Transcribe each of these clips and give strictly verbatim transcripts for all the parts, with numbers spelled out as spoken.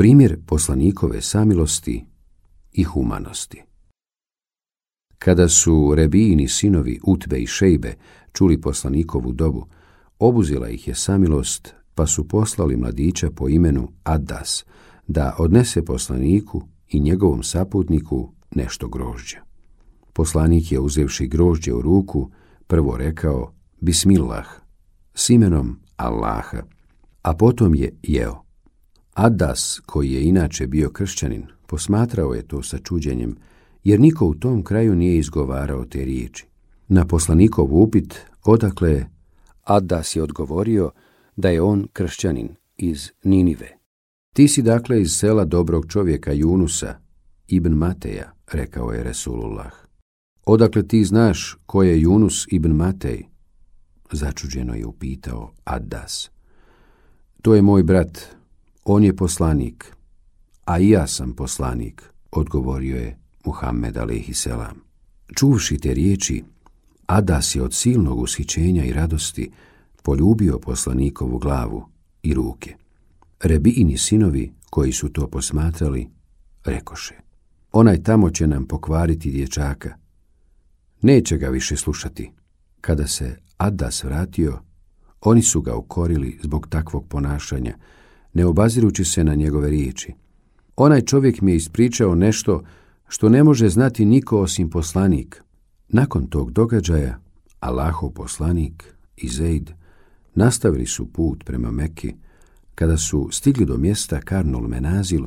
Primjer poslanikove samilosti i humanosti. Kada su Rebijini sinovi Utbe i Šejbe čuli poslanikovu dobu, obuzela ih je samilost, pa su poslali mladića po imenu Adas da odnese poslaniku i njegovom saputniku nešto grožđa. Poslanik je, uzevši grožđe u ruku, prvo rekao Bismillah, s imenom Allaha, a potom je jeo. Adas, koji je inače bio kršćanin, posmatrao je to sa čuđenjem, jer niko u tom kraju nije izgovarao te riječi. Na poslanikov upit odakle je, Adas je odgovorio da je on kršćanin iz Ninive. Ti si dakle iz sela dobrog čovjeka Junusa, ibn Mateja, rekao je Resulullah. Odakle ti znaš ko je Junus ibn Matej? Začuđeno je upitao Adas. To je moj brat, on je poslanik, a i ja sam poslanik, odgovorio je Muhammed alejhi selam. Čuvši te riječi, Adas je od silnog ushićenja i radosti poljubio poslanikovu glavu i ruke. Rebijini sinovi, koji su to posmatrali, rekoše: onaj tamo će nam pokvariti dječaka. Neće ga više slušati. Kada se Adas vratio, oni su ga ukorili zbog takvog ponašanja, ne obazirući se na njegove riječi. Onaj čovjek mi je ispričao nešto što ne može znati niko osim poslanik. Nakon tog događaja, Allahov poslanik i Zeid nastavili su put prema Meki. Kada su stigli do mjesta Karnul Menazil,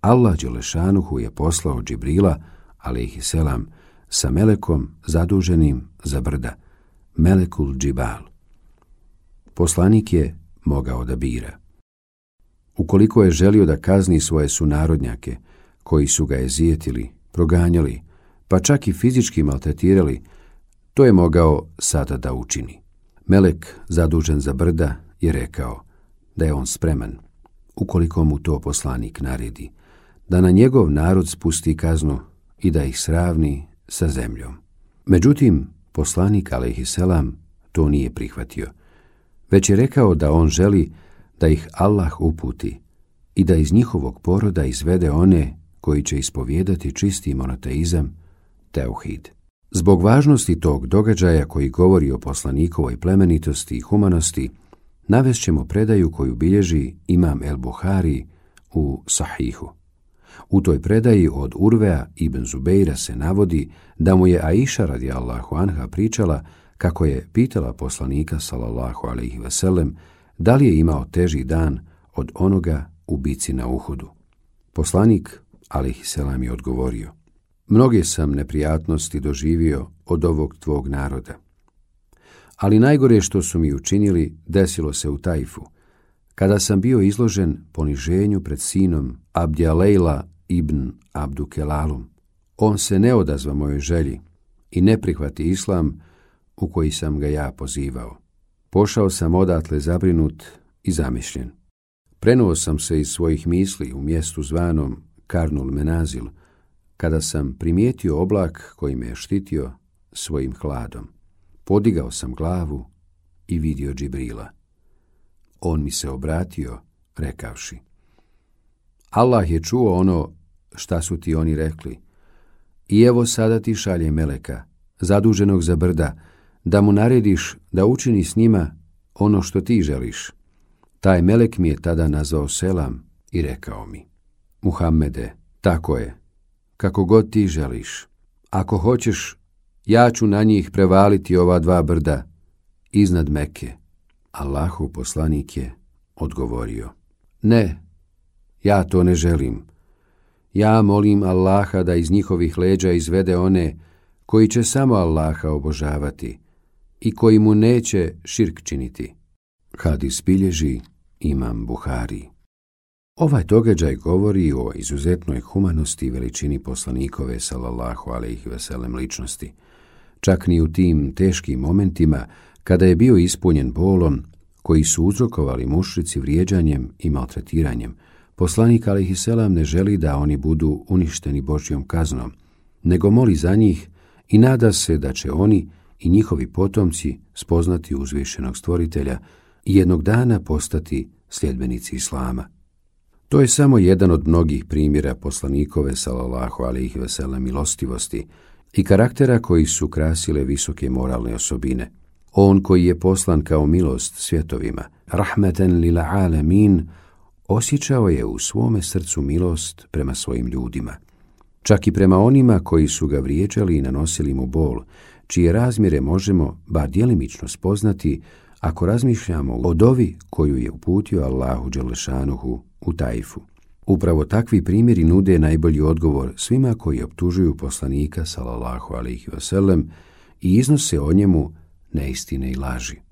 Allah dželešanuhu je poslao Džibrila, alejhi selam, sa melekom zaduženim za brda, Melekul Džibal. Poslanik je mogao da bira. Ukoliko je želio da kazni svoje sunarodnjake, koji su ga ezijetili, proganjali, pa čak i fizički maltretirali, to je mogao sada da učini. Melek, zadužen za brda, je rekao da je on spreman, ukoliko mu to poslanik naredi, da na njegov narod spusti kaznu i da ih sravni sa zemljom. Međutim, poslanik alejhi selam to nije prihvatio, već je rekao da on želi da ih Allah uputi i da iz njihovog poroda izvede one koji će ispovijedati čisti monoteizam, teuhid. Zbog važnosti tog događaja koji govori o poslanikovoj plemenitosti i humanosti, navest ćemo predaju koju bilježi imam El Buhari u Sahihu. U toj predaji od Urvea ibn Zubeira se navodi da mu je Aisha radijallahu anha pričala kako je pitala poslanika sallallahu alejhi ve sellem da li je imao teži dan od onoga u bici na Uhudu. Poslanik alejhi selam je odgovorio: mnoge sam neprijatnosti doživio od ovog tvog naroda, ali najgore što su mi učinili desilo se u Tajfu, kada sam bio izložen poniženju pred sinom Abdjalejla ibn Abdukelalum. On se ne odazva mojoj želji i ne prihvati islam u koji sam ga ja pozivao. Pošao sam odatle zabrinut i zamišljen. Prenuo sam se iz svojih misli u mjestu zvanom Karnul Menazil, kada sam primijetio oblak koji me je štitio svojim hladom. Podigao sam glavu i vidio Džibrila. On mi se obratio, rekavši: Allah je čuo ono šta su ti oni rekli, i evo sada ti šalje meleka, zaduženog za brda, da mu narediš da učini s njima ono što ti želiš. Taj melek mi je tada nazvao selam i rekao mi: Muhammede, tako je, kako god ti želiš. Ako hoćeš, ja ću na njih prevaliti ova dva brda iznad Mekke. Allahov poslanik je odgovorio: ne, ja to ne želim. Ja molim Allaha da iz njihovih leđa izvede one koji će samo Allaha obožavati i koji mu neće širk činiti. Hadis bilježi imam Buhari. Ovaj događaj govori o izuzetnoj humanosti i veličini poslanikove sallallahu alejhi ve sellem ličnosti. Čak ni u tim teškim momentima, kada je bio ispunjen bolom koji su uzrokovali mušrici vrijeđanjem i maltretiranjem, poslanik alejhi selam ne želi da oni budu uništeni Božjom kaznom, nego moli za njih i nada se da će oni i njihovi potomci spoznati uzvišenog stvoritelja i jednog dana postati sljedbenici Islama. To je samo jedan od mnogih primjera poslanikove sallallahu alejhi ve sellem milostivosti i karaktera koji su krasile visoke moralne osobine. On koji je poslan kao milost svjetovima, rahmeten lil alamin, osjećao je u svome srcu milost prema svojim ljudima. Čak i prema onima koji su ga vrijeđali i nanosili mu bol, čije razmjere možemo bar djelimično spoznati ako razmišljamo o dovi koju je uputio Allahu dželešanuhu u Tajfu. Upravo takvi primjeri nude najbolji odgovor svima koji optužuju poslanika sallallahu alejhi ve sellem i iznose o njemu neistine i laži.